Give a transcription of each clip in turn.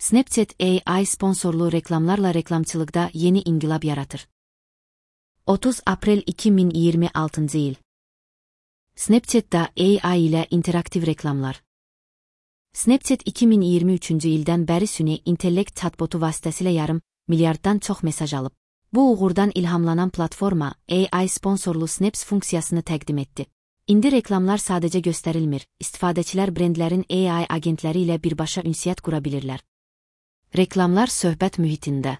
Snapchat AI sponsorlu reklamlarla reklamçılıqda yeni inqilab yaratır. 30 Aprel 2026 il. Snapchat'da AI ilə interaktiv reklamlar. Snapchat 2023-cü ildən bəri süni intellekt chatbotu vasitəsilə yarım milyarddan çox mesaj alıb. Bu uğurdan ilhamlanan platforma AI sponsorlu Snaps funksiyasını təqdim etdi. İndi reklamlar sadəcə göstərilmir, istifadəçilər brendlərin AI agentləri ilə birbaşa ünsiyyət qura bilirlər. Reklamlar söhbət mühitində.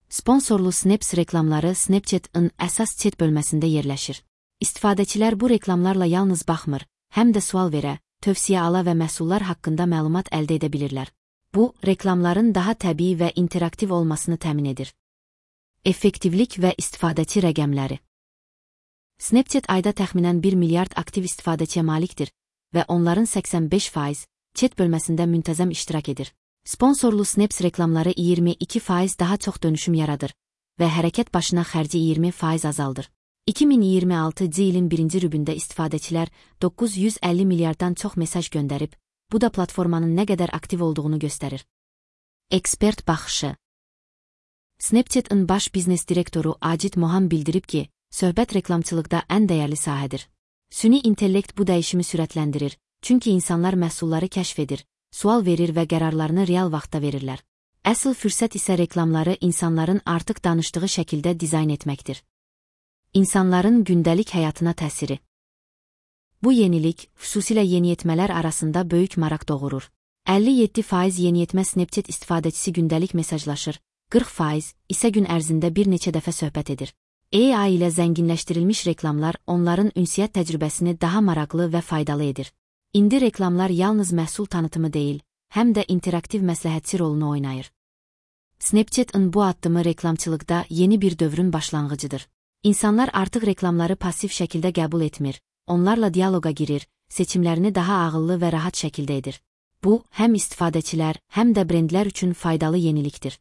Sponsorlu Snaps reklamları Snapchat-ın əsas chat bölməsində yerləşir. İstifadəçilər bu reklamlarla yalnız baxmır, həm də sual verə, tövsiyə ala və məhsullar haqqında məlumat əldə edə bilirlər. Bu, reklamların daha təbii və interaktiv olmasını təmin edir. Effektivlik və istifadəçi rəqəmləri. Snapchat ayda təxminən 1 milyard aktiv istifadəçiyə malikdir və onların 85% chat bölməsində müntəzəm iştirak edir. Sponsorlu Snaps reklamları 22% daha çox dönüşüm yaradır və hərəkət başına xərci 20% azaldır. 2026 ilin birinci rübündə istifadəçilər 950 milyarddan çox mesaj göndərib, bu da platformanın nə qədər aktiv olduğunu göstərir. Ekspert baxışı. Snapchat-ın baş biznes direktoru Acid Mohan bildirib ki, söhbət reklamçılıqda ən dəyərli sahədir. Süni intellekt bu dəyişimi sürətləndirir, çünki insanlar məhsulları kəşf edir, sual verir və qərarlarını real vaxtda verirlər. Əsl fürsət isə reklamları insanların artıq danışdığı şəkildə dizayn etməkdir. İnsanların gündəlik həyatına təsiri. Bu yenilik, xüsusilə yeniyetmələr arasında böyük maraq doğurur. 57% yeniyetmə Snapchat istifadəçisi gündəlik mesajlaşır, 40% isə gün ərzində bir neçə dəfə söhbət edir. AI ilə zənginləşdirilmiş reklamlar onların ünsiyyət təcrübəsini daha maraqlı və faydalı edir. İndi reklamlar yalnız məhsul tanıtımı deyil, həm də interaktiv məsləhətçi rolunu oynayır. Snapchat-ın bu addımı reklamçılıqda yeni bir dövrün başlanğıcıdır. İnsanlar artıq reklamları pasiv şəkildə qəbul etmir, onlarla diyaloqa girir, seçimlərini daha ağıllı və rahat şəkildə edir. Bu, həm istifadəçilər, həm də brendlər üçün faydalı yenilikdir.